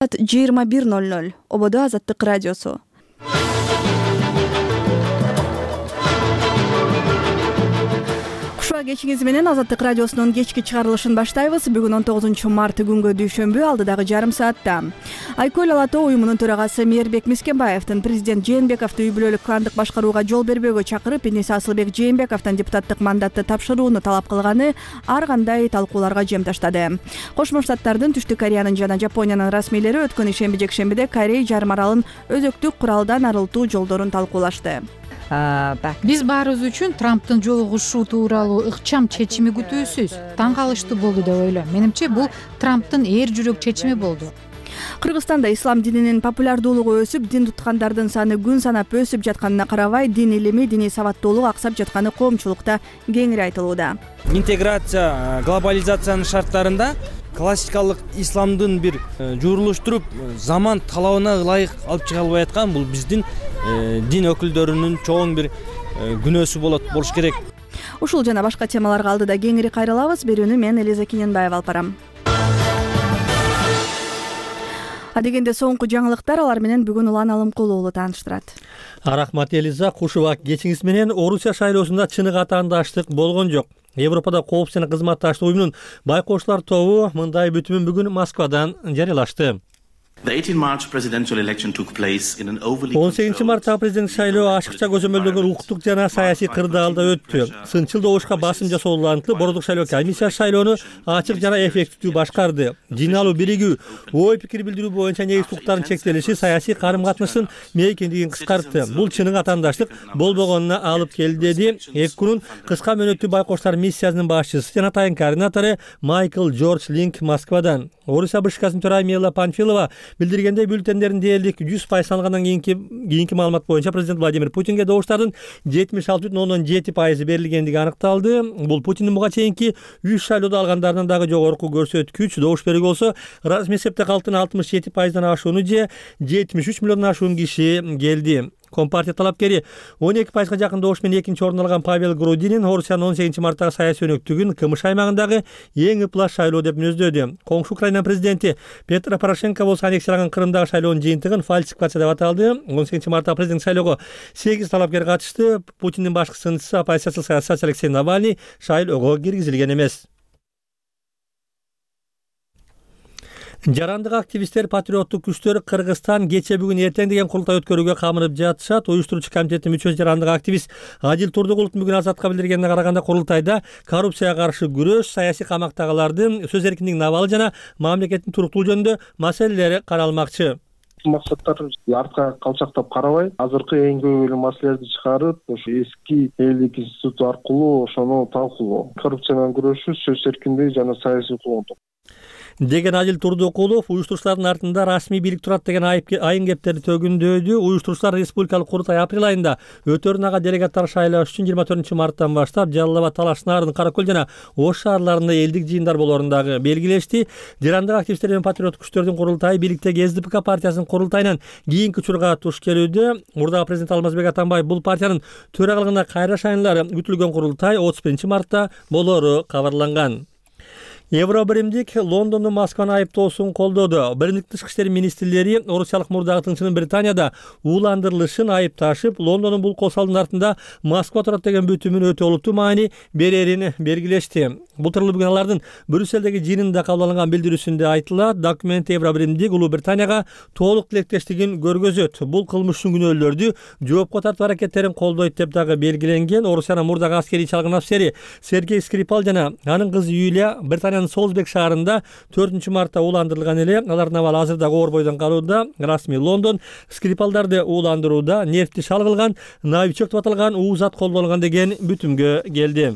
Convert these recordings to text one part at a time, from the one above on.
21:00 Ободо Азаттык радиосу. Кечиңиз менен Азаттык радиосунун кечки чыгарылышын баштайбыз. Бүгүн 19 март күнгө дүйшөмбү, алдыдагы жарым саатта. Айкөл Ала Тоо уюмунун төрагасы Мээрбек Мискенбаевдин президент Жээнбековду үй бүлөлүк кландык башкарууга жол бербөөгө чакырып, Эниса Асылбек Жээнбековдон депутаттык мандатты тапшырууну талап кылганы ар кандай талкууларга жем таштады. Кошмо Штаттардын, Түштүк Кореянын жана Жапониянын расмийлери өткөн ишемби-жекшембиде Корей жарым аралын өзөктүк куралдан арылтуу жолдорун талкуулашты. Биз баарыбыз үчүн Трамптын жолугушуу тууралуу ыкчам чечими күтүүсүз таң калыштуу болду деп ойлойм. Менимче бул Трамптын эр жүрөк чечими болду. Кыргызстанда ислам дининин популярдуулугу өсүп, дин туткандардын саны күн санап өсүп жатканына карабай, дин илими, диний сабаттуулук аксап жатканы коомчулукта кеңири айтылууда. Интеграция, глобализациянын шарттарында классикалык исламдын бир журулуштуруп, заман талабына ылайык алып чыга албай аткан бул биздин дин өкүлдөрүнүн чоң бир күнөөсү болуш керек. Ушул жана башка темаларга алдыда кеңири кайрылабыз. Берүүнү мен Элиза Кененбаева алып барам. Адегенде соңку жаңылыктар, алар менен бүгүн Улан Алымкул уулу тааныштырат. Рахмат Элиза, куш убак кечиңиз менен. Орусия шайлоосунда чыныгы атаандаштык болгон жок. Европада коопсуздук жана кызматташтык уюмунун байкоочулар тобу мындай бүтүмүн бүгүн Москвадан жарыялашты. 18 марттагы президенттик шайлоо ашыкча көзөмөлдөгөн укуктук жана саясий кырдаалда өттү. Сынчыл добушка басым жасоолантылып, Бородук шайлоо комиссиясы шайлоону ачык жана эффективдүү башкарды. Жыйналуу биригүү, ой пикир билдирүү боюнча негизги укуктардын чектелиши саясий карым-катныштын мейкиндигин кыскартты. Бул чыныгы атаандаштык болбогонуна алып келди, деди 2 күнүн кыска мөөнөттүү байкоочулар миссиясынын башчысы жана тайын координатору Майкл Джордж Линк Москвадан. Орусия БШКсынын төрайымы Мила Панфилова билдиргендей, бюллетендердин дээрлик 100% саналгандан кийинки маалымат боюнча президент Владимир Путинге добуштардын 76,7% берилгендиги аныкталды. Бул Путиндин буга чейинки 3 шайлоодо алгандарынан дагы жогорку көрсөткүч. Добуш берүүгө болсо, расмий эсепте калктын 67%дан ашууну же 73 миллиондон ашуун киши келди. Компартия талапкери 12%га жакын добуш менен экинчи орун алган Павел Грудинин Орусиянын 18 марттагы саясий өнөктүгүн КМШ аймагындагы эң ыплас шайлоо деп мүнөздөдү. Коңшу Украина президенти Петро Порошенко болсо аннексияланган Крымдагы шайлоонун жыйынтыгын фальсификация деп аталды. 18 марттагы президенттик шайлоого 8 талапкер катышты. Путиндин башкы сынчысы оппозициялык саясатчы Алексей Навальный шайлоого киргизилген эмес. Жарандык активисттер, патриоттук күчтөр Кыргызстан кече бүгүн эртең деген курултай өткөрүүгө камынып жатышат. Уюштуруучу комитеттин мүчөсү жарандык активист Адил Турдугуловдун бүгүн Азатка билдиргенине караганда, курултайда коррупцияга каршы күрөш, саясий камактагылардын сөз эркиндигинин абалы жана мамлекеттин туруктуулугу жөнүндө маселелери каралмакчы. Максаттар артка калчактап карабай, азыркы эң көбөлүү маселелерди чыгарып, ошо эски элдик институт аркылуу ошону талкуулоо, коррупция менен күрөшүү, сөз эркиндиги жана саясий укугундук деген Адил Турдукулов уюштуруучулардын артында расмий бийлик турат деген айын кептерди төгүндөдү. Уюштуруучулар республикалык курултай апрель айында өтөрүн ага делегаттар шайлаш үчүн 24 марттан баштап Жалал Абад, Талаш, Нарын, Каракөл жана Ош шаарларында элдик жыйындар болоорун дагы белгилешти. Жарандык активисттер менен патриоттук күчтөрдүн курултайы бийликтеги СДПК партиясынын курултайынан кийинки учурга туш келүүдө. Мурдагы президент Алмазбек Атамбаев бул партиянын төрагалыгына кайра шайланары күтүлгөн курултай 31 мартта болоору кабарланган. Евробиримдик Лондондун Москваны айыптоосун колдоду. Биримдик тышкы иштер министрлери орусиялык мурдагы тыңчынын Британияда ууландырылышын айыпташып, Лондондун бул кол салдын артында Москва турат деген бүтүмүн өтө олуттуу маани берерин белгилешти. Бул тууралуу бүгүн алардын Брюссельдеги жыйынында кабыл алынган билдирүүсүндө айтылат. Документ Евробиримдик Улуу Британияга толук тилектештигин көргөзөт. Бул кылмыш үчүн күнөөлөрдү жоопко тартуу аракеттерин колдойт деп дагы белгиленген. Орусиянын мурдагы аскерий чалгын афисери Сергей Скрипал жана анын кызы Юлия Британияны Солсбек шаарында 4 мартта ууландырылган эле. Алардын абалы азырда оор бойдон калууда. Расмий Лондон Скрипалдарды ууландырууда нефти шалгылган, новичок деп аталган уузат колдонулган деген бүтүмгө келди.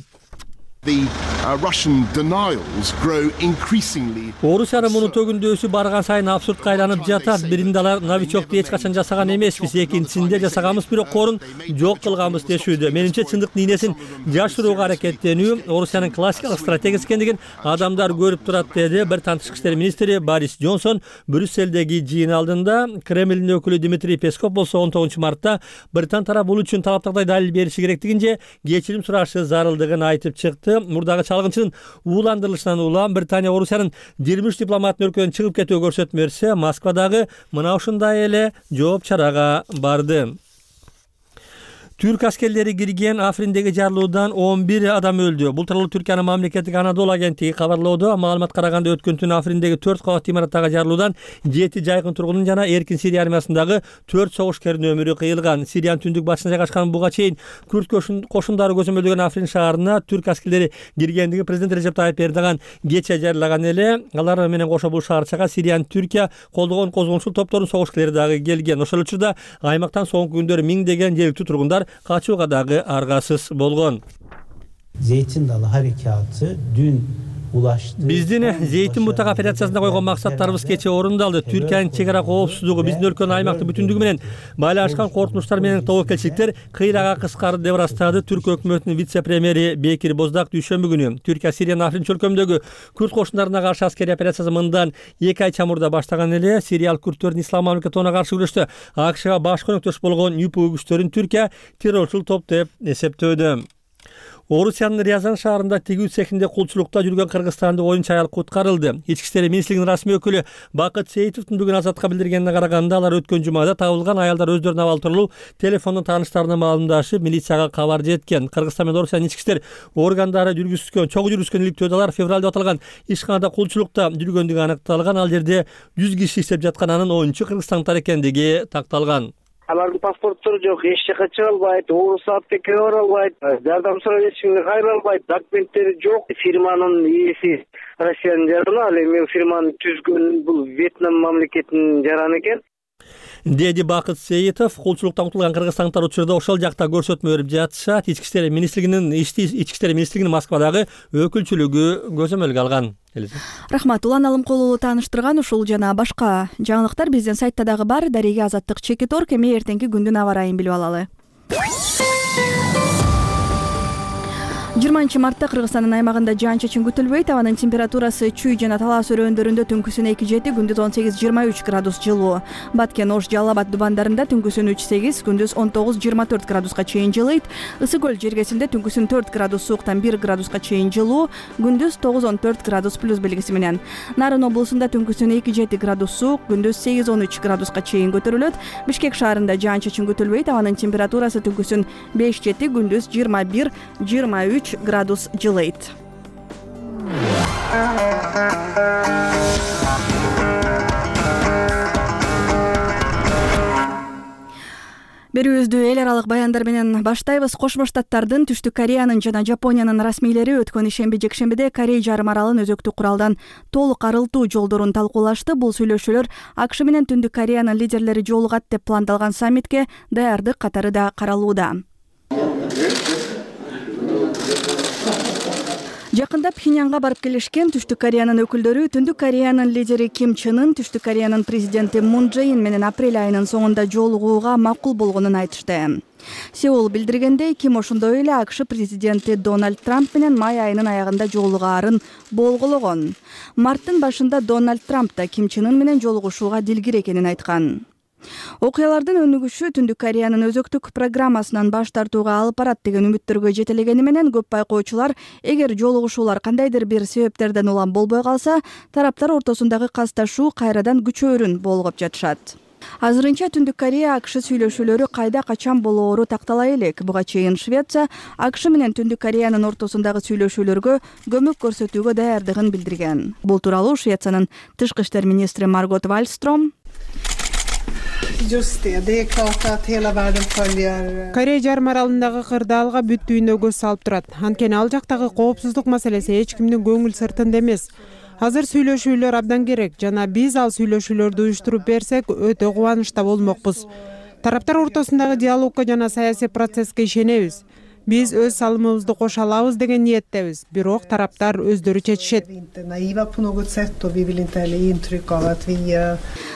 Орусиянын муну төгүндөөсү барган сайын абсурдка айланып жатат. Биринде алар новичокду эч качан жасаган эмеспиз, экинчисинде жасаганбыз, бирок корун жок кылганбыз дешүүдө. Менимче чындыктын ийнесин жашырууга аракеттенүү Орусиянын классикалык стратегиясы экендигин адамдар көрүп турат, деди Британ тышкы иштер министри Борис Джонсон Брюссельдеги жыйын алдында. Кремлдин өкүлү Дмитрий Песков болсо 19 мартта Британ тарабы бул үчүн талаптагыдай далил бериши керектигин же кечирим сурашы зарылдыгын айтып чыкты. башчысы мурдагы чалгынчынын ууландырылышынан улам Британия Орусиянын 23 дипломатын өлкөдөн чыгып кетүүгө көрсөтмө берсе, Москвадагы мына ушундай эле жооп чарага барды. Түрк аскерлери кирген Африндеги жарылуудан 11 адам өлдү. Бул тууралуу Түркиянын мамлекеттик Анадолу агенттиги кабарлоодо. Маалыматка караганда өткөн түнү Африндеги 4 кабаттуу имараттагы жарылуудан 7 жайкын тургундун жана Эркин Сирия армиясындагы 4 согушкердин өмүрү кыйылган. Сириянын түндүк батышына жайгашкан буга чейин күрд кошундары көзөмөлдөгөн Африн шаарына түрк аскерлери киргендиги президент Режеп Тайып Эрдоган кече жарылаган эле. Алар менен кошо бул шаарчага Сириянын Түркия колдогон козгончул топтордун согушкерлери дагы келген. Ошол учурда аймактан соңку күндөрү миңдеген жергиликтүү тургундар качууга дагы аргасыз болгон. Zeytin Dalı Harekatı dün ulaştı. Биздин Зейтин бутак операциясында койгон максаттарыбыз кече орундалды. Түркиянын чек ара коопсуздугу, биздин өлкөнүн аймактык бүтүндүгү менен байланышкан коркунучтар менен тобокелчиликтер кыйрага кыскарды деп ырастады түрк өкмөтүнүн вице-премьери Бекир Боздак дүйшөмбү күнү. Түркия Сириянын Африн чөлкөмдөгү күрд кошундарына каршы аскерий операциясы мындан 2 ай чамурда баштаган эле. Сириялык күрдтөрдүн ислам мамлекетине каршы күрөштө АКШга баш көмөктөш болгон ЮПУ күчтөрүн Түркия террорчул топ деп эсептөөдө. Орусиянын Рязан шаарында тигүү цехинде кулчулукта жүргөн кыргызстандык оюнчу аял куткарылды. Ички иштер министрлигинин расмий өкүлү Бакыт Сейитовдун бүгүн Азатка билдиргенине караганда, алар өткөн жумада табылган аялдар өздөрүнө абал тууралуу телефондон тааныштарына маалымдашып, милицияга кабар жеткен. Кыргызстан менен Орусиянын ички иштер органдары чогуу жүргүзгөн иликтөөдө алар февралда аталган ишканада кулчулукта жүргөндүгү аныкталган. Ал жерде 100 киши иштеп жаткан, анын оюнчу кыргызстандыктар экендиги такталган. Алардын паспорттору жок, эч жака чыга албайт, орус аптекеге бара албайт, жардам сурап эч кимге кайра албайт, документтери жок. Фирманын ээси Россиянын жараны, ал эми фирманы түзгөн бул Вьетнам мамлекетинин жараны экен. Деди Бакыт Сейитов, кулчулуктан кутулган кыргызстандыктар учурда ошол жакта көрсөтмө берип жатышат. Ички иштер министрлигинин Москвадагы өкүлчүлүгү көзөмөлгө алган. Рахмат, Улан Алымкулуулу тааныштырган ушул жана башка жаңылыктар биздин сайтта дагы бар. Дареге Азаттык Чекит.org. Эми эртеңки күндүн аба ырайын билип алалы. 20 мартта Кыргызстандын аймагында жаан-чачын күтүлбөйт. Абанын температурасы Чүй жана Талас өрөөндөрүндө түнкүсүн 2-7, күндүз 18-23 градус жылуу. Баткен, Ош, Жалал Абад дубандарында түнкүсүн 3-8, күндүз 19-24 градуска чейин жылыйт. Ысык көл жергесинде түнкүсүн 4 градус сууктан 1 градуска чейин жылуу, күндүз 9-14 градус плюс белгиси менен. Нарын облусунда түнкүсүн 2-7 градус суук, күндүз 8-13 градуска чейин көтөрүлөт. Бишкек шаарында жаан-чачын күтүлбөйт. Абанын температурасы түнкүсүн 5-7, күндүз 21-23 градус жылыйт. Берүүбүздү эл аралык баяндар менен баштайбыз. Кошмо Штаттардын, Түштүк Кореянын жана Жапониянын расмийлери өткөн ишемби-жекшембиде Корей жарым аралын өзөктүк куралдан толук арылтуу жолдорун талкуулашты. Бул сүйлөшүүлөр АКШ менен Түндүк Кореянын лидерлери жолугат деп пландалган саммитке даярдык катары да каралууда. Жакында Пхеньянга барып келишкен Түштүк Кореянын өкүлдөрү Түндүк Кореянын лидери Ким Чен Ын Түштүк Кореянын президенти Мун Чже Ин менен апрель айынын соңунда жолугууга макул болгонун айтышты. Сеул билдиргендей, Ким ошондой эле АКШ президенти Дональд Трамп менен май айынын аягында жолугаарын болголагон. Марттын башында Дональд Трамп да Ким Чен Ын менен жолугушууга дилгир экенин айткан. Окуялардын өнүгүшү Түндүк Кореянын өзөктүк программасынан баш тартууга алып барат деген үмүттөргө жетелегени менен көп байкоочулар, эгер жолугушуулар кандайдыр бир себептерден улам болбой калса, тараптар ортосундагы касташуу кайрадан күчөөрүн болгоп жатышат. Азырынча Түндүк Корея АКШ сүйлөшүүлөрү кайда качан болоору тактала элек. Буга чейин Швеция АКШ менен Түндүк Кореянын ортосундагы сүйлөшүүлөргө көмөк көрсөтүүгө даярдыгын билдирген. Бул тууралуу Швециянын тышкы иштер министри Маргот Вальстром Корея жарым аралындагы кырдаалга бүт дүйнө көз салып турат. Анткени ал жактагы коопсуздук маселеси эч кимдин көңүл сыртында эмес. Азыр сүйлөшүүлөр абдан керек жана биз ал сүйлөшүүлөрдү уюштуруп берсек өтө кубанычта болмокпуз. Тараптар ортосундагы диалогко жана саясий процесске ишенебиз. Биз өз салымыбызды кошо алабыз деген ниеттебиз. Бирок тараптар өздөрү чечишет.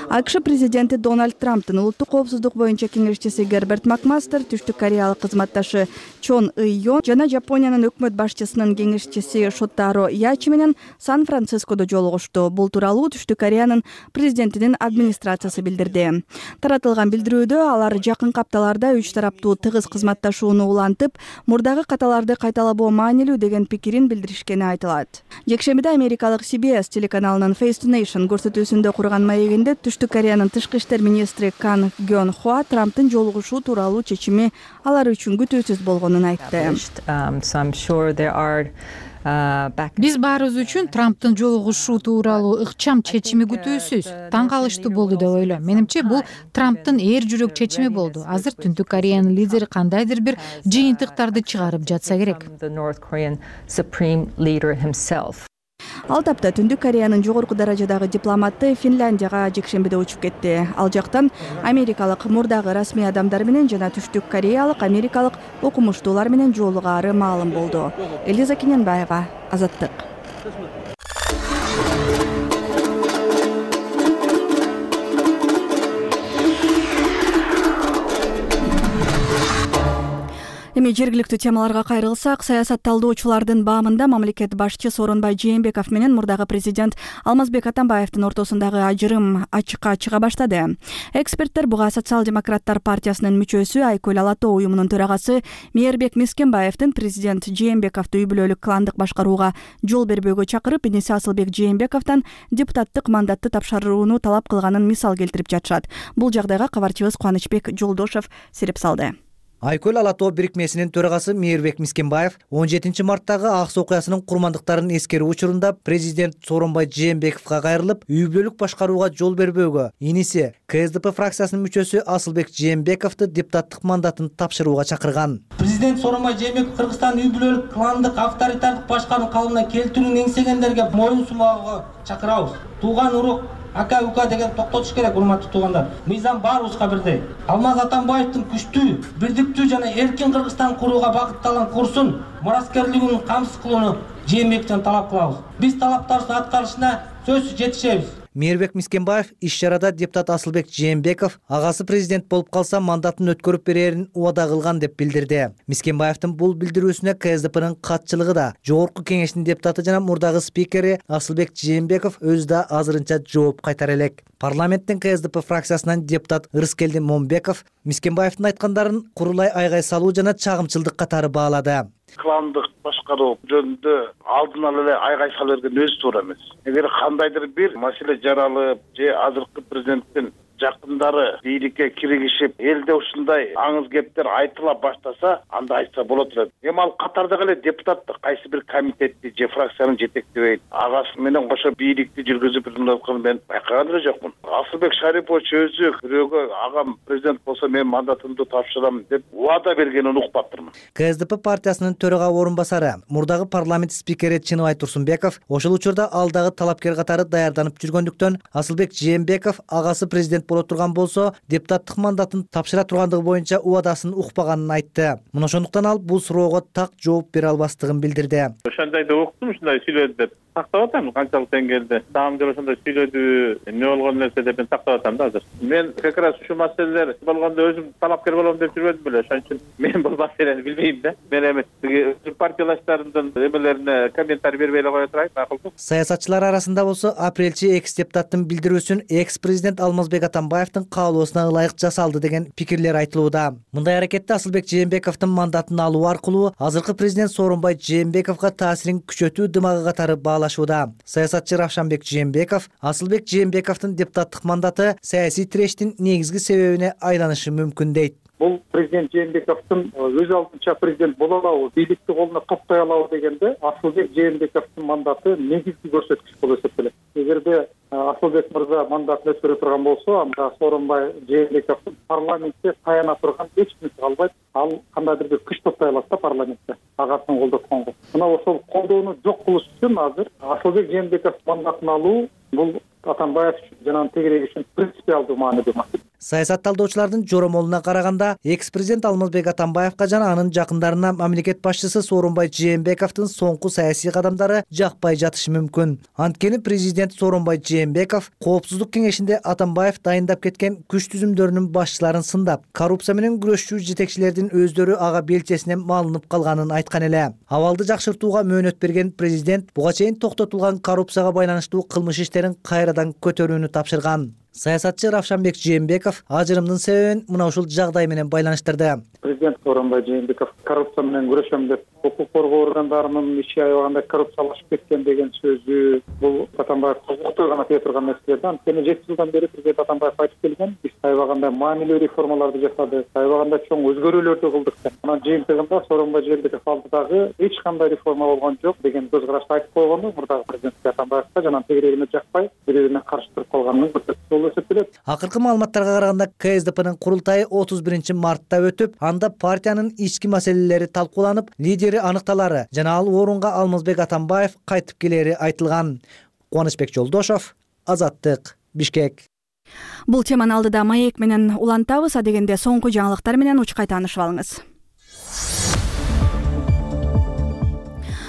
АКШ президенти Дональд Трамптын улуттук коопсуздук боюнча кеңешчиси Герберт Макмастер, түштүк кореялык кызматташы Чон Ыйон жана Жапониянын өкмөт башчысынын кеңешчиси Шотаро Ячи менен Сан-Францискодо жолугушту. Бул тууралуу Түштүк Кореянын президентинин администрациясы билдирди. Таратылган билдирүүдө алар жакынкы апталарда үч тараптуу тыгыз кызматташууну улантып, мурдагы каталарды кайталабоо маанилүү деген пикирин билдиришкени айтылат. Жекшембиде америкалык CBS телеканалынын Face to Nation көрсөтүүсүндө курган маегинде Түштүк Кореянын тышкы иштер министри Кан Гён Хва Трамптын жолугушуу тууралуу чечими алар үчүн күтүүсүз болгонун айтты. Биз баарыбыз үчүн Трамптын жолугушуу тууралуу ыкчам чечими күтүүсүз, таң калыштуу болду деп ойлойм. Менимче бул Трамптын эр жүрөк чечими болду. Азыр Түштүк Кореянын лидери кандайдыр бир жыйынтыктарды чыгарып жатса керек. Ал тапта Түндүк Кореянын жогорку даражадагы дипломаты Финляндияга жекшембиде учуп кетти. Ал жактан америкалык мурдагы расмий адамдар менен жана түштүк кореялык, америкалык окумуштуулар менен жолугаары маалым болду. Элиза Кененбаева, Азаттык. Эми жергиликтүү темаларга кайрылсак, саясат талдоочулардын баамында мамлекет башчы Сооронбай Жээнбеков менен мурдагы президент Алмазбек Атамбаевдин ортосундагы ажырым ачыкка чыга баштады. Эксперттер буга Социал-демократтар партиясынын мүчөсү Айкөл Алатоо уюмунун төрагасы Мээрбек Мискенбаевдин президент Жээнбековду үй бүлөлүк кландык башкарууга жол бербөөгө чакырып, иниси Асылбек Жээнбековдон депутаттык мандатты тапшырууну талап кылганын мисал келтирип жатышат. Бул жагдайга кабарчыбыз Кубанычбек Жолдошов сереп салды. Айкөл Алатоо бирикмесинин төрагасы Мээрбек Мискенбаев 17 марттагы Ак Суу окуясынын курмандыктарын эскерүү учурунда президент Сооронбай Жээнбековго кайрылып, үй бүлөлүк башкарууга жол бербөөгө, иниси КСДП фракциясынын мүчөсү Асылбек Жээнбековду депутаттык мандатын тапшырууга чакырган. Президент Сооронбай Жээнбеков Кыргызстан үй бүлөлүк кландык авторитардык башкаруу калыбына келтирүүнү эңсегендерге моюн сунууга чакырабыз. Тууган урук ака ука деген токтотуш керек, урматтуу туугандар. Мыйзам баарыбызга бирдей. Алмаз Атамбаевдин күчтүү, бирдиктүү жана эркин Кыргызстан курууга багытталган курсун, мураскерлигин камсыз кылууну Жээнбековдон талап кылабыз. Биз талаптарыбыздын аткарылышына сөзсүз жетишебиз. Мээрбек Мискенбаев иш-чарада депутат Асылбек Жээнбеков агасы президент болуп калса мандатын өткөрүп берерин убада кылган деп билдирди. Мискенбаевдин бул билдирүүсүнө КСДПнын катчылыгы да, жогорку кеңештин депутаты жана мурдагы спикери Асылбек Жээнбеков өзү да азырынча жооп кайтара элек. Парламенттин КСДП фракциясынан депутат Ырыскелди Момбеков Мискенбаевдин айткандарын курулай айгай салуу жана чагымчылдык катары баалады. Кландык башкаруу жөнүндө алдын ала эле айгай сала берген өзү туура эмес. Эгер кандайдыр бир маселе жаралып, же азыркы президенттин жакындары бийликке киригишип, элде ушундай аңыз кептер айтыла баштаса, анда айтса болот эле. Эми ал катардагы эле депутат кайсы бир комитетти же фракцияны жетектебейт, агасы менен кошо бийликти жүргүзүп жатканын мен байкаган эле жокмун. Асылбек Шарипович өзү бирөөгө агам президент болсо мен мандатымды тапшырам деп убада бергенин укпаптырмын. КСДП партиясынын төрага орун басары, мурдагы парламент спикери Чыныбай Турсунбеков ошол учурда алдагы талапкер катары даярданып жүргөндүктөн Асылбек Жээнбеков агасы президент боло турган болсо, депутаттык мандатын тапшыра тургандыгы боюнча убадасын укпаганын айтты. Мына ошондуктан ал бул суроого так жооп бере албастыгын билдирди. Ошондой да уктум, ушундай сүйлөдү деп тактап атам, канчалык деңгээлде. Дагы бир ошондой сүйлөдү, эмне болгон нерсе деп мен тактап атам да азыр. Мен как раз ушу маселелер болгондо өзүм талапкер болом деп жүрбөдүм беле, ошон үчүн мен бул маселени билбейм да. Мен эми партиялаштарымдын эмелерине комментарий бербей эле кое турайын, макулбу? Саясатчылар арасында болсо, апрелчи экс-депутаттын билдирүүсүн экс-президент Алмазбек Атамбаевдин каалоосуна ылайык жасалды деген пикирлер айтылууда. Мындай аракетте Асылбек Жээнбековдун мандатын алуу аркылуу азыркы президент Сооронбай Жээнбековго таасирин күчөтүү дымагы катары баалашууда. Саясатчы Равшанбек Жээнбеков Асылбек Жээнбековдун депутаттык мандаты саясий тирештин негизги себебине айланышы мүмкүн дейт. Бул президент Жээнбековдун өз алдынча президент боло алабы, бийликти колуна каптай алабы дегенде Асылбек Жээнбековдун мандаты негизги көрсөткүч болуп эсептелет. Эгерде Асылбек мырза мандатын өткөрө турган болсо, анда Сооронбай Жээнбековдун парламентте таяна турган эч нерсе калбайт. Ал кандайдыр бир күч топтой алат да парламентте агасын колдотконго. Мына ошол колдоону жок кылыш үчүн азыр Асылбек Жээнбеков мандатын алуу бул Атамбаев жана тегерек үчүн принципиалдуу маанилүү маселе. Саясат талдоочулардын жоромолуна караганда, экс-президент Алмазбек Атамбаевка жана анын жакындарына мамлекет башчысы Сооронбай Жээнбековдун соңку саясий кадамдары жакпай жатышы мүмкүн. Анткени президент Сооронбай Жээнбеков Коопсуздук кеңешинде Атамбаев дайындап кеткен күч түзүмдөрүнүн башчыларын сындап, коррупция менен күрөшчү жетекчилердин өздөрү ага белчесинен малынып калганын айткан эле. Абалды жакшыртууга мөөнөт берген президент буга чейин токтотулган коррупцияга байланыштуу кылмыш иштерин кайрадан көтөрүүнү тапшырган. Саясатчы Равшанбек Жээнбеков ажырымдын себебин мына ушул жагдай менен байланыштырды. Президент Сооронбай Жээнбеков коррупция менен күрөшөм деп укук коргоо органдарынын иши аябаганда коррупциялашып кеткен деген сөзү бул Атамбаев укукта гана тие турган нерсе. Анткени 7 жылдан бери президент Атамбаев айтып келген, биз аябаганда маанилүү реформаларды жасадык, аябаганда чоң өзгөрүүлөрдү кылдык деп. Анан жыйынтыгында Сооронбай Жээнбеков алдыдагы эч кандай реформа болгон жок деген көз карашты айтып койгону мурдагы президент Атамбаевка жана тегерегине жакпай бири-бирине каршы туруп калганын көрсөттү. Акыркы маалыматтарга караганда КСДПнын курултайы 31 мартта өтүп, анда партиянын ички маселелери талкууланып, лидери аныкталары жана ал орунга Алмазбек Атамбаев кайтып келери айтылган. Кубанычбек Жолдошов, Азаттык, Бишкек. Бул теманы алдыда маек менен улантабыз, дегенде соңку жаңылыктар менен учкай таанышып алыңыз.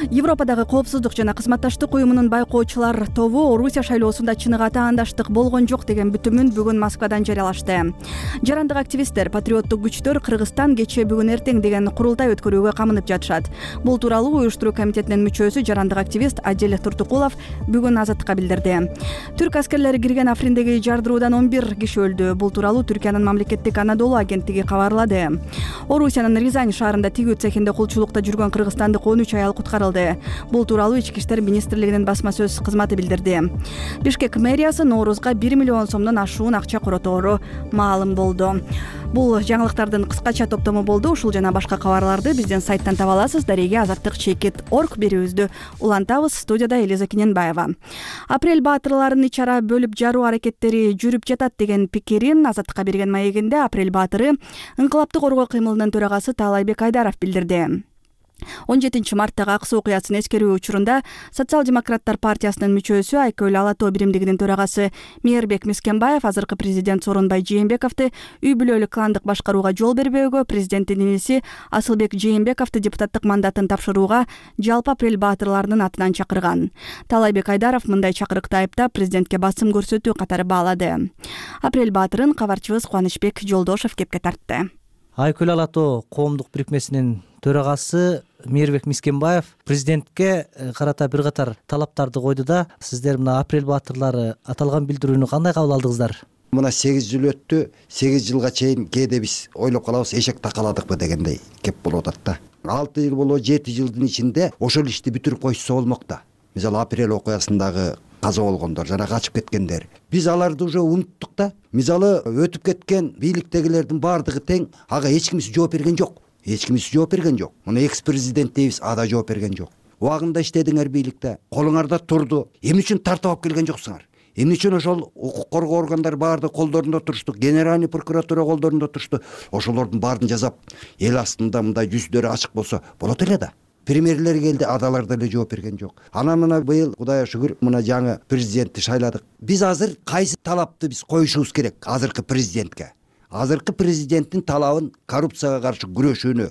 Европадагы коопсуздук жана кызматташтык уюмунун байкоочулар тобу Орусия шайлоосунда чыныгы таандаштык болгон жок деген бүтүмүн бүгүн Москвадан жарыялашты. Жарандык активисттер, патриоттук күчтөр Кыргызстан кечээ бүгүн эртең деген курултай өткөрүүгө камынып жатышат. Бул тууралуу уюштуруу комитетинин мүчөсү жарандык активист Адил Туртукулов бүгүн Азаттыкка билдирди. Түрк аскерлери кирген Африндеги жардыруудан 11 киши өлдү. Бул тууралуу Түркиянын мамлекеттик Анадолу агенттиги кабарлады. Орусиянын Рязань шаарында тигүү цехинде кулчулукта жүргөн кыргызстандык 13 аял куткарылды. Бул тууралуу Ички иштер министрлигинин басма сөз кызматы билдирди. Бишкек мэриясы Ноорузга 1 миллион сомдон ашуун акча коротору маалым болду. Бул жаңылыктардын кыскача топтому болду. Ушул жана башка кабарларды биздин сайттан таба аласыз. Дареге azаттык.org берүүбүздү улантабыз. Студияда Элиза Кененбаева. Апрель баатырларынын ичара бөлүп жаруу аракеттери жүрүп жатат деген пикирин Азаттыкка берген маегинде Апрель баатыры ыңкылаптык коргоо кыймылынын төрагасы Таалайбек Айдаров билдирди. 17 марттагы ак суу окуясын эскерүү учурунда Социал-демократтар партиясынын мүчөсү Айкөл Алатоо биримдигинин төрагасы Мээрбек Мискенбаев азыркы президент Сооронбай Жээнбековду үй бүлөлүк кландык башкарууга жол бербөөгө, президенттин иниси Асылбек Жээнбековду депутаттык мандатын тапшырууга жалпы Апрель баатырларынын атынан чакырган. Таалайбек Айдаров мындай чакырыкты айыптап президентке басым көрсөтүү катары баалады. Апрель баатырын кабарчыбыз Кубанычбек Жолдошов кепке тартты. Айкөл Алатоо коомдук бирикмесинин төрагасы Мээрбек Мискенбаев президентке карата бир катар талаптарды койду да, сиздер мына Апрель баатырлары аталган билдирүүнү кандай кабыл алдыңыздар? Мына 8 жыл өттү, 8 жылга чейин кээде биз ойлоп калабыз, эшек такаладыкпы дегендей кеп болуп атат да. 6 жыл болобу, 7 жылдын ичинде ошол ишти бүтүрүп койсо болмок да. Мисалы Апрель окуясындагы каза болгондор жана качып кеткендер. Биз аларды уже унуттук да. Мисалы өтүп кеткен бийликтегилердин баардыгы тең, ага эч кимиси жооп берген жок. Муну экс-президент дейбиз, ада жооп берген жок. Убагында иштедиңер бийликте, колуңарда турду. Эмне үчүн тартып алып келген жоксуңар? Эмне үчүн ошол укук коргоо органдары баардыгы колдорунда турушту, генеральный прокуратура колдорунда турушту. Ошолордун баарын жасап, эл астында мындай жүздөрү ачык болсо болот эле да. Премьерлер келди, адалар деле жооп берген жок. Анан мына быйыл Кудайга шүгүр мына жаңы президентти шайладык. Биз азыр кайсы талапты биз коюшубуз керек азыркы президентке? Азыркы президенттин талабын коррупцияга каршы күрөшүүнү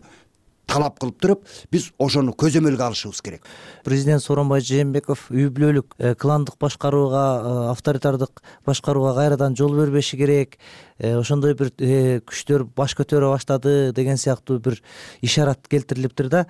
талап кылып туруп, биз ошону көзөмөлгө алышыбыз керек. Президент Сооронбай Жээнбеков үй бүлөлүк кландык башкарууга, авторитардык башкарууга кайрадан жол бербеши керек. Ошондой бир күчтөр баш көтөрө баштады деген сыяктуу бир ишарат келтирилиптир да.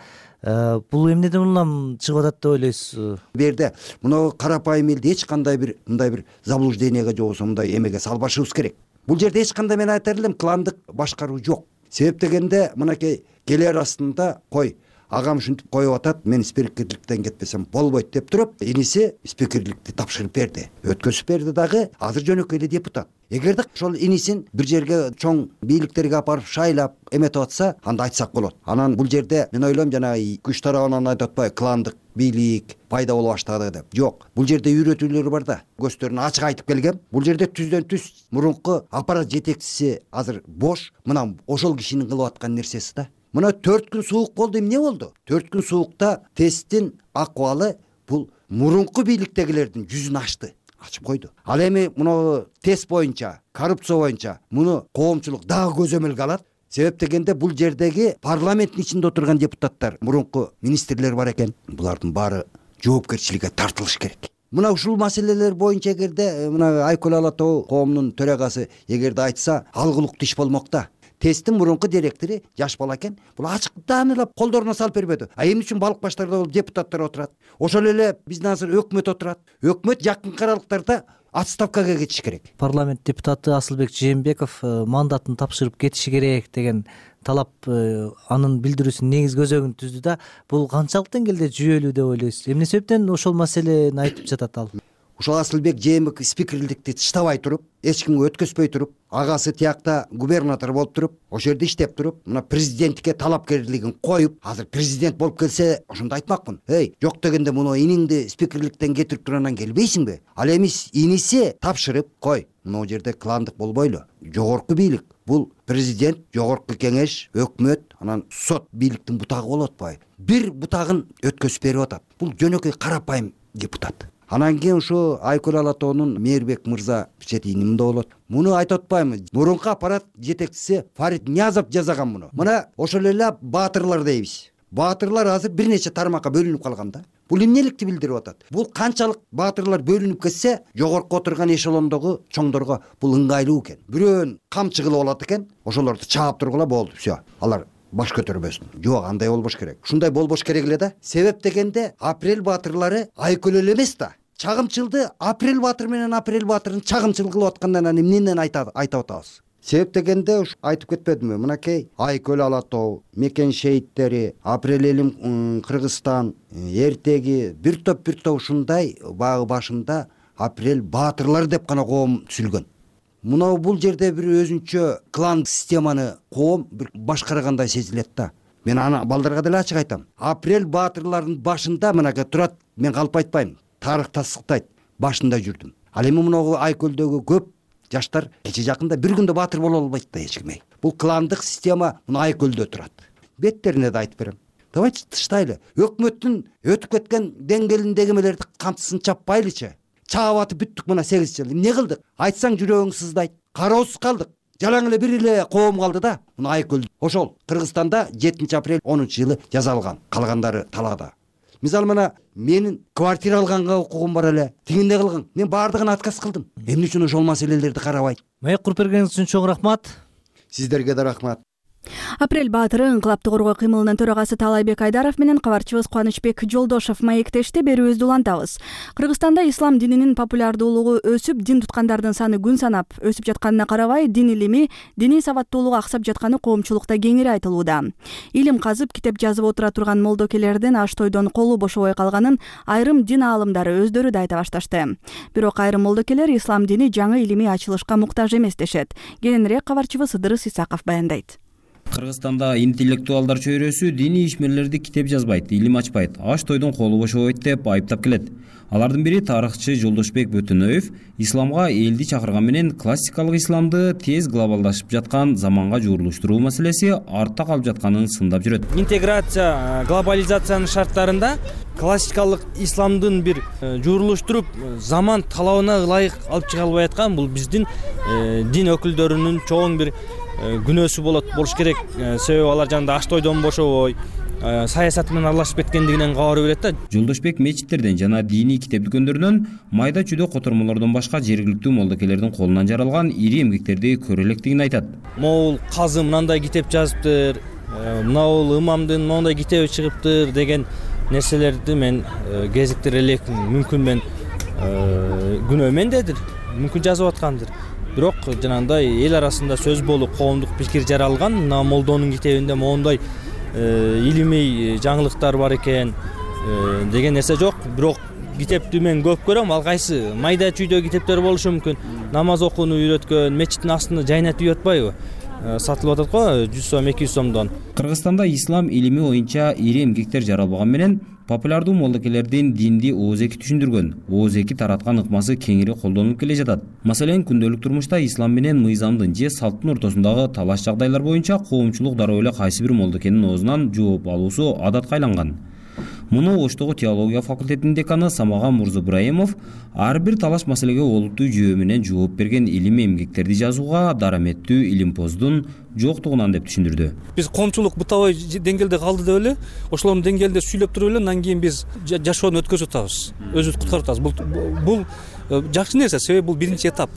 Бул эмнеден улам чыгып атат деп ойлойсуз? Берде мына карапайым элди эч кандай бир мындай бир заблужденияга же болбосо мындай эмеге салбашыбыз керек. Бул жерде эч кандай мен айтар элем кландык башкаруу жок. Себеп дегенде мынакей келер астында кой агам ушинтип коюп атат, мен спикерликтен кетпесем болбойт деп туруп, иниси спикерликти тапшырып берди. Өткөзүп берди дагы, азыр жөнөкөй эле депутат. Эгерде ошол инисин бир жерге чоң бийликтерге апарып шайлап эметип атса, анда айтсак болот. Анан бул жерде мен ойлойм жанагы күч тарабынан айтып атпайбы, кландык бийлик пайда боло баштады деп. Жок, бул жерде үйрөтүүлөр бар да. Көздөрүн ачык айтып келгем. Бул жерде түздөн түз мурунку аппарат жетекчиси азыр бош, мына ошол кишинин кылып аткан нерсеси да. Мына 4 күн суук болду, эмне болду? 4 күн суукта тесттин акыбалы бул мурунку бийликтегилердин жүзүн ачты. ачып койду. Ал эми муну тест боюнча, коррупция боюнча муну коомчулук дагы көзөмөлгө алат. Себеп дегенде бул жердеги парламенттин ичинде отурган депутаттар, мурунку министрлер бар экен. Булардын баары жоопкерчиликке тартылыш керек. Мына ушул маселелер боюнча эгерде мына Айкөл Ала Тоо коомунун төрагасы эгерде айтса, алгылыктуу иш болмок да. Тесттин мурунку директору жаш бала экен. Бул ачыктан эле колдоруна салып бербеди. Эмне үчүн балык баштарда депутаттар отурат? Ошол эле биздин азыр өкмөт отурат. Өкмөт жакынкы аралыктарда отставкага кетиш керек. Парламент депутаты Асылбек Жээнбеков мандатын тапшырып кетиши керек деген талап анын билдирүүсүнүн негизги өзөгүн түздү да. Бул канчалык деңгээлде жүйөлүү деп ойлойсуз? Эмне себептен ошол маселени айтып жатат ал? Ушул Асылбек Жээнбеков спикерликти таштабай туруп, эч кимге өткөзбөй туруп, агасы тиякта губернатор болуп туруп, ошол жерде иштеп туруп, мына президенттикке талапкерлигин коюп, азыр президент болуп келсе, ошондо айтмакмын. Жок дегенде муну иниңди спикерликтен кетирип туруп келбейсиңби? Ал эмес иниси тапшырып кой. Мына жерде кландык болбойлу. Жогорку бийлик. Бул президент, жогорку кеңеш, өкмөт, анан сот бийликтин бутагы болуп атпайбы? Бир бутагын өткөзүп берип атат. Бул жөнөкөй карапайым депутат. Анан кийин ушу Айкөл Ала Тоонун Мээрбек мырза четинимде болот. Муну айтып атпаймынбы? Мурунку аппарат жетекчиси Фарид Ниязов жазаган муну. Мына ошол эле баатырлар дейбиз. Баатырлар азыр бир нече тармакка бөлүнүп калган да. Бул эмнеликти билдирип атат? Бул канчалык баатырлар бөлүнүп кетсе, жогорку отурган эшелондогу чоңдорго бул ыңгайлуу экен. Бирөөнүн камчы кылып алат экен, ошолорду чаап тургула болду. Все. Алар баш көтөрбөсүн. Жок, андай болбош керек. Ушундай болбош керек эле да. Себеп дегенде апрель баатырлары Айкөл эле эмес да. Чагымчылды апрель баатыр менен апрель баатырын чагымчыл кылып аткандан эмнеден айтып атабыз? Себеп дегенде ушу айтып кетпедимби? Мынакей Айкөл Ала Тоо, Мекен шейиттери, апрель элим Кыргызстан, эртеги бир топ ушундай багы башында апрель баатырлары деп гана коом түзүлгөн. Мына бул жерде бир өзүнчө клан системаны коом бир башкаргандай сезилет да. Мен аны балдарга деле ачык айтам. Апрель баатырларынын башында мынакей турат, мен калп айтпайм. Тарых тасдыктайт, башында жүрдүм. Ал эми мына Айкөлдөгү көп жаштар кече жакында бир күндө баатыр боло албайт да эч ким. Бул кландык система мына Айкөлдө турат. Беттерине да айтып берем. Давайте тыштайлы. Өкмөттүн өтүп кеткен деңгээлиндеги эмелерди камчысын чаппайлычы. Чаап атып бүттүк мына 8 жыл. Эмне кылдык? Айтсаң жүрөгүң сыздайт. Кароосуз калдык. Жалаң эле бир эле коом калды да. Мына Айкөл. Ошол Кыргызстанда 7 апрель 10 жылы жазалган. Калгандары талаада. Мисалы мына менин квартира алганга укугум бар эле. Тигинде кылган. Мен баардыгын отказ кылдым. Эмне үчүн ошол маселелерди карабайт? Маек куруп бергениңиз үчүн чоң рахмат. Сиздерге да рахмат. Апрель баатыры ыңкылапты коргоо кыймылынын төрагасы Таалайбек Айдаров менен кабарчыбыз Кубанычбек Жолдошов маектешти. Берүүбүздү улантабыз. Кыргызстанда ислам дининин популярдуулугу өсүп, дин туткандардын саны күн санап өсүп жатканына карабай, дин илими, диний сабаттуулугу аксап жатканы коомчулукта кеңири айтылууда. Илим казып, китеп жазып отура турган молдокелердин аш тойдон колу бошобой калганын айрым дин аалымдары өздөрү да айта башташты. Бирок айрым молдокелер ислам дини жаңы илимий ачылышка муктаж эмес дешет. Кененирээк кабарчыбыз Ыдырыс Исаков баяндайт. Кыргызстанда интеллектуалдар чөйрөсү диний ишмерлерди китеп жазбайт, илим ачпайт, аш тойдон колу бошобойт деп айыптап келет. Алардын бири тарыхчы Жолдошбек Бөтөнөев исламга элди чакырган менен классикалык исламды тез глобалдашып жаткан заманга жуурулуштуруу маселеси артта калып жатканын сындап жүрөт. Интеграция, глобализациянын шарттарында классикалык исламдын бир жуурулуштуруп заман талабына ылайык алып чыга албай аткан бул биздин дин өкүлдөрүнүн чоң бир күнөөсү болуш керек. Себеби алар жанында аш тойдон бошобой, саясат менен аралашып кеткендигинен кабар берет да. Жолдошбек мечиттерден жана диний китеп дүкөндөрүнөн майда чүйдө котормолордон башка жергиликтүү молдокелердин колунан жаралган ири эмгектерди көрө электигин айтат. Могул казы мындай китеп жазыптыр, мынау имамдын моундай китеби чыгыптыр деген нерселерди мен кезиктире элекмин. Мүмкүн мен күнөө мендедир, мүмкүн жазып аткандыр. Бирок жанагындай эл арасында сөз болуп, коомдук пикир жаралган, мына молдонун китебинде моундай илимий жаңылыктар бар экен деген нерсе жок. Бирок китепти мен көп көрөм, ал кайсы майда чүйдө китептер болушу мүмкүн. Намаз окууну үйрөткөн, мечиттин астына жайнатып үй атпайбы? Сатылып атат го 100 сом, 200 сомдон. Кыргызстанда ислам илими боюнча ири эмгектер жаралбаган менен популярдуу молдокелердин динди ооз-эки түшүндүргөн, ооз-эки тараткан ыкмасы кеңири колдонулуп келе жатат. Маселен, күндөлүк турмушта ислам менен мыйзамдын же салттын ортосундагы талаш жагдайлар боюнча коомчулук дароо эле кайсы бир молдокенин оозунан жооп алуусу адатка айланган. Муну Оштогу теология факультетинин деканы Самаган Мурзабраимов ар бир талаш маселеге олуттуу жүйө менен жооп берген илимий эмгектерди жазууга дараметтүү илимпоздун жоктугунан деп түшүндүрдү. Биз коомчулук бытабай деңгээлде калды деп эле, ошолордун деңгээлде сүйлөп туруп эле андан кийин биз жашоону өткөзүп атабыз, өзүбүздү куткарып атабыз. Бул жакшы нерсе, себеби бул биринчи этап.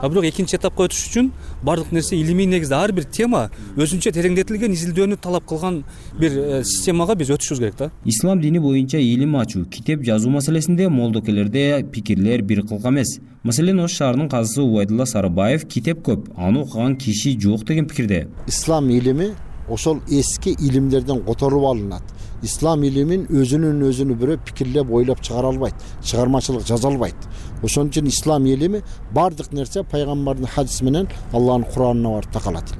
А бирок экинчи этапка өтүш үчүн бардык нерсе илимий негизде ар бир тема өзүнчө тереңдетилген изилдөөнү талап кылган бир системага биз өтүшүбүз керек да. Ислам дини боюнча илим ачуу, китеп жазуу маселесинде молдокелерде пикирлер бир кылка эмес. Маселен, Ош шаарынын казысы Убайдулла Сарыбаев китеп көп, аны окуган киши жок деген пикирде. Ислам илими ошол эски илимдерден которуп алынат. Ислам илимин өзүнүн бирөө пикирлеп ойлоп чыгара албайт, чыгармачылык жаза албайт. Ошон үчүн ислам илими бардык нерсе пайгамбардын хадиси менен Аллахтын Куранына барып такалат.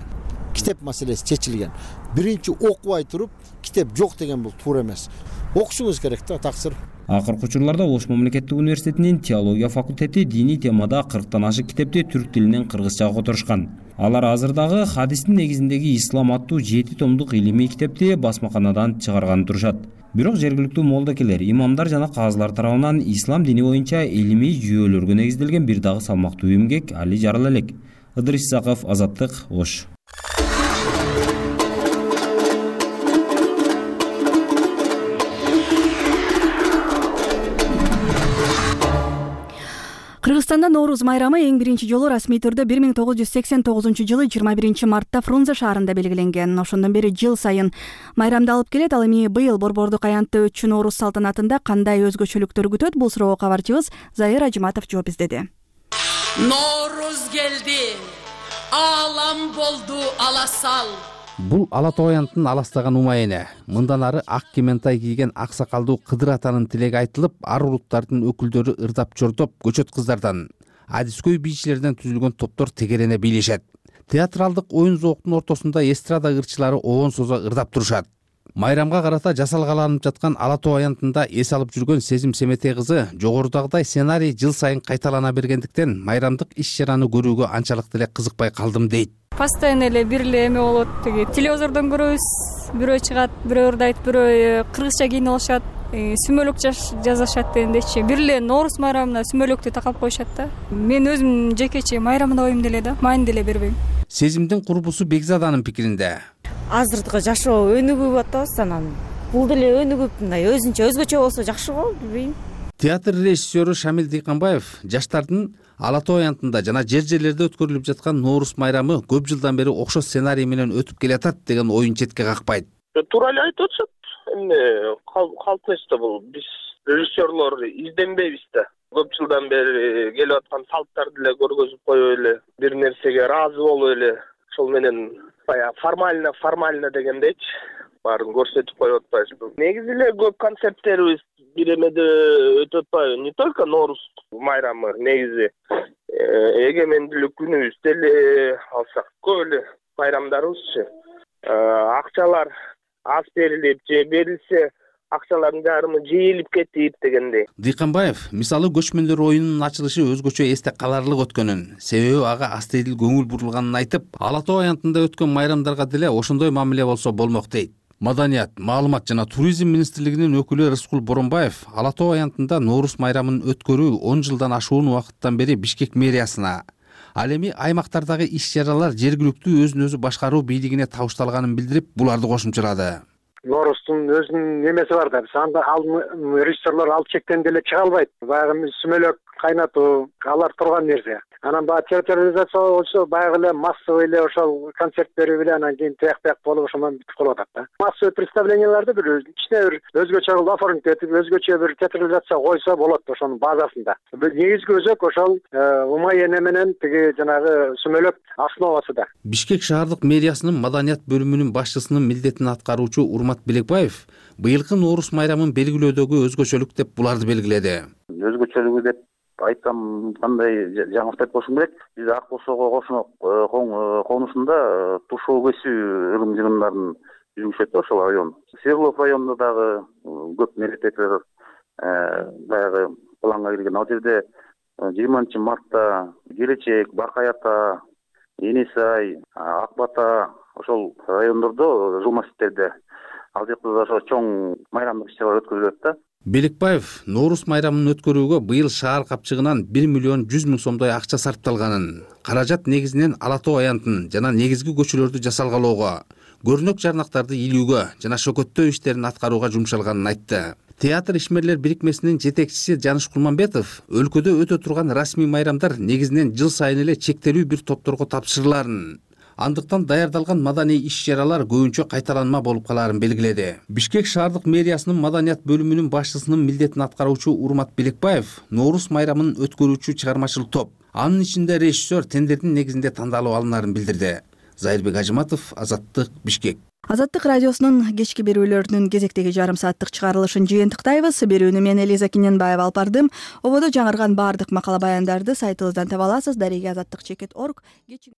Китеп маселеси чечилген. Биринчи окубай туруп китеп жок деген бул туура эмес. Окушуңуз керек да, таксыр. Акыркы учурларда Ош мамлекеттик университетинин теология факультети диний темада 40тан ашык китепти түрк тилинен кыргызчага которушкан. Алар азырдагы хадистин негизиндеги ислам аттуу 7 томдук илимий китепти басмаканадан чыгарганы турушат. Бирок жергиликтүү молдокелер, имамдар жана казылар тарабынан ислам дини боюнча илимий жүйөлөргө негизделген бир дагы салмактуу эмгек али жарала элек. Ыдырыс Исаков, Азаттык, Ош. Кыргызстанда Норуз майрамы эң биринчи жолу расмий түрдө 1989 жылы 21 мартта Фрунзе шаарында белгиленген. Ошондон бери жыл сайын майрамды алып келет. Ал эми быйыл Борбордук аянтта өтчү Норуз салтанатында кандай өзгөчөлүктөр күтөт? Бул суроого кабарчыбыз Зайыр Ажыматов жооп издеди. Норуз келди, алам болду аласал. Бул Ала Тоо аянтын аластаган умайыны. Мындан ары ак киментай кийген ак сакалдуу Кыдыр атанын тилеги айтылып, ар улуттардын өкүлдөрү ырдап чордоп, көчөт кыздардан, адискөй бийчилерден түзүлгөн топтор тегерене бийлешет. Театралдык оюн зооктун ортосунда эстрада ырчылары оон созо ырдап турушат. Майрамга карата жасалгаланып жаткан Ала Тоо аянтында эс алып жүргөн Сезим Семетей кызы жогорудагыдай сценарий жыл сайын кайталана бергендиктен майрамдык иш-чараны көрүүгө анчалык деле кызыкпай калдым дейт. Постоянно эле бир эле эме болот, тиги телевизордон көрөбүз, бирөө чыгат, бирөө ырдайт, бирөө кыргызча кийинип алышат, сүмөлөк жазышат дегендейчи. Бир эле Норуз майрамына сүмөлөктү такап коюшат да. Мен өзүм жекече майрамда оюм деле да, маани деле бербейм. Сезимдин курбусу Бекзаданын пикиринде. Азыркы жашоо өнүгүп атабыз, анан бул деле өнүгүп мындай өзүнчө өзгөчө болсо жакшы го, билбейм. Театр режиссеру Шамил Дыйканбаев жаштардын Ала Тоо аянтында жана жер-жерлерде өткөрүлүп жаткан Норуз майрамы көп жылдан бери окшош сценарий менен өтүп келатат деген оюн четке какпайт. Туура эле айтып атышат. Эми калп нерсе бул. Биз режиссерлор изденбейбиз да. Көп жылдан бери келип аткан салттарды эле көргөзүп коюп эле, бир нерсеге ыраазы болуп эле, ошол менен баягы формально дегендейчи баарын көрсөтүп коюп атпайбызбы. Негизи эле көп концерттерибиз бир эмеде өтүп атпайбы? Не только Норуз майрамы, негизи эгемендүүлүк күнүбүздө эле алсак, көп эле майрамдарыбызчы акчалар аз берилип же берилсе акчалардын жарымы жыйылып кетип дегендей. Дыйканбаев мисалы көчмөндөр оюнунун ачылышы өзгөчө эсте каларлык өткөнүн, себеби ага астейдил көңүл бурулганын айтып, Ала Тоо аянтында өткөн майрамдарга деле ошондой мамиле болсо болмок дейт. Маданият, маалымат жана туризм министрлигинин өкүлү Рыскул Боронбаев Ала Тоо аянтында Норуз майрамын өткөрүү 10 жылдан ашуун убакыттан бери Бишкек мэриясына, ал эми аймактардагы иш-чаралар жергиликтүү өзүн өзү башкаруу бийлигине табышталганын билдирип, буларды кошумчалады. Норуздун өзүнүн немеси бар да. Ал режиссерлор ал чектен деле чыга албайт. Баягы сүмөлөк кайнатуу, алар турган нерсе. Анан баягы театрализация болсо баягы эле массовый эле ошол концерт берип эле анан кийин тияк болуп ошондон бүтүп калып атат да. Массовый представленияларды бир кичине бир өзгөчө кылып оформить этип, өзгөчө бир театрализация койсо болот ошонун базасында. Негизги өзөк ошол умай эне менен тиги жанагы сүмөлөк основасы да. Бишкек шаардык мэриясынын маданият бөлүмүнүн башчысынын милдетин аткаруучу Урмат Белекбаев быйылкы Норуз майрамын белгилөөдөгү өзгөчөлүк деп буларды белгиледи. Өзгөчөлүгү деп айтсам кандай жаңылык айтып болушум керек. Биз Ак Босого конусунда тушоо кесүү ырым-жырымдарын жүргүзүшөт да ошол район. Свердлов районунда дагы көп мероприятиялар баягы планга кирген. Ал жерде 20 мартта Келечек, Баркай ата, Энесай, Ак Бата ошол райондордо жыл масжиттерде ал жакта да ошо чоң майрамдык иш-чаралар өткөрүлөт да. Белекбаев Ноорус майрамын өткөрүүгө быйыл шаар капчыгынан 1 миллион 100 миң сомдой акча сарпталганын, каражат негизинен Ала Тоо аянтын жана негизги көчөлөрдү жасалгалоого, көрүнөк жарнактарды илүүгө жана шөкөттөө иштерин аткарууга жумшалганын айтты. Театр ишмерлер бирикмесинин жетекчиси Жаныш Кулманбетов өлкөдө өтө турган расмий майрамдар негизинен жыл сайын эле чектелүү бир топторго тапшырыларын, андыктан даярдалган маданий иш-чаралар көбүнчө кайталанма болуп калаарын белгиледи. Бишкек шаардык мэриясынын маданият бөлүмүнүн башчысынын милдетин аткаруучу Урмат Белекбаев Ноорус майрамын өткөрүүчү чыгармачыл топ, анын ичинде режиссер тендердин негизинде тандалып алынаарын билдирди. Зайырбек Ажыматов, Азаттык, Бишкек. Азаттык радиосунун кечки берүүлөрүнүн кезектеги жарым сааттык чыгарылышын жыйынтыктайбыз. Берүүнү мен Элиза Киненбаева алып бардым. Ободо жаңырган баардык макала баяндарды сайтыбыздан таба аласыз. Дареге Азаттык.org.